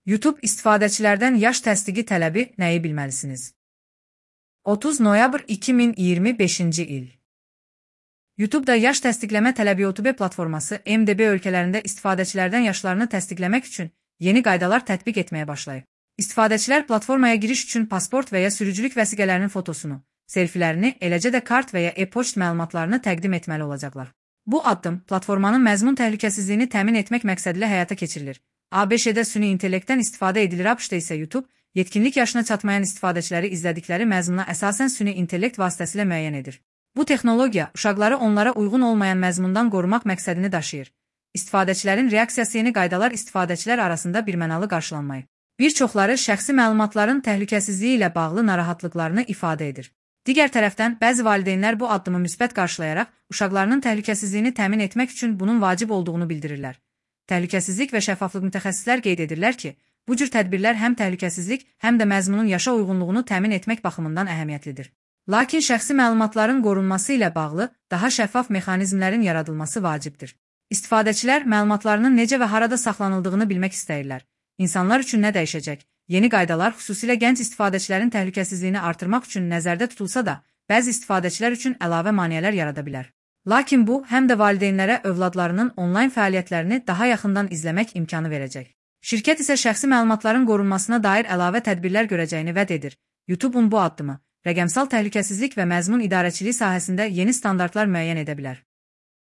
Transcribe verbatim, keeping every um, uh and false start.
YouTube istifadəçilərdən yaş təsdiqi tələbi nəyi bilməlisiniz? otuz noyabr iki min iyirmi beşinci il. YouTube'da yaş təsdiqləmə tələbi YouTube platforması M D B ölkələrində istifadəçilərdən yaşlarını təsdiqləmək üçün yeni qaydalar tətbiq etməyə başlayıb. İstifadəçilər platformaya giriş üçün pasport və ya sürücülük vəsiqələrinin fotosunu, selfilərini, eləcə də kart və ya e-poçt məlumatlarını təqdim etməli olacaqlar. Bu addım platformanın məzmun təhlükəsizliyini təmin etmək məqsədilə həyata keçirilir. A B Ş-də süni intellektdən istifadə edilir, A B Ş-da isə YouTube, yetkinlik yaşına çatmayan istifadəçiləri izlədikləri məzmuna əsasən süni intellekt vasitəsilə müəyyən edir. Bu texnologiya uşaqları onlara uyğun olmayan məzmundan qorumaq məqsədini daşıyır. İstifadəçilərin reaksiyası yeni qaydalar istifadəçilər arasında birmənalı qarşılanmayıb. Bir çoxları şəxsi məlumatların təhlükəsizliyi ilə bağlı narahatlıqlarını ifadə edir. Digər tərəfdən, bəzi valideynlər bu addımı müsbət qarşılayaraq, uşaqlarının təhlükəsizliyini təmin etmək üçün bunun vacib olduğunu bildirirlər. Təhlükəsizlik və şəffaflıq mütəxəssislər qeyd edirlər ki, bu cür tədbirlər həm təhlükəsizlik, həm də məzmunun yaşa uyğunluğunu təmin etmək baxımından əhəmiyyətlidir. Lakin şəxsi məlumatların qorunması ilə bağlı daha şəffaf mexanizmlərin yaradılması vacibdir. İstifadəçilər məlumatlarının necə və harada saxlanıldığını bilmək istəyirlər. İnsanlar üçün nə dəyişəcək? Yeni qaydalar xüsusilə gənc istifadəçilərin təhlükəsizliyini artırmaq üçün nəzərdə tutulsa da, bəzi istifadəçilər üçün əlavə maneələr yarada bilər. Lakin bu, həm də valideynlərə övladlarının onlayn fəaliyyətlərini daha yaxından izləmək imkanı verəcək. Şirkət isə şəxsi məlumatların qorunmasına dair əlavə tədbirlər görəcəyini vəd edir. YouTube'un bu addımı, rəqəmsal təhlükəsizlik və məzmun idarəçiliyi sahəsində yeni standartlar müəyyən edə bilər.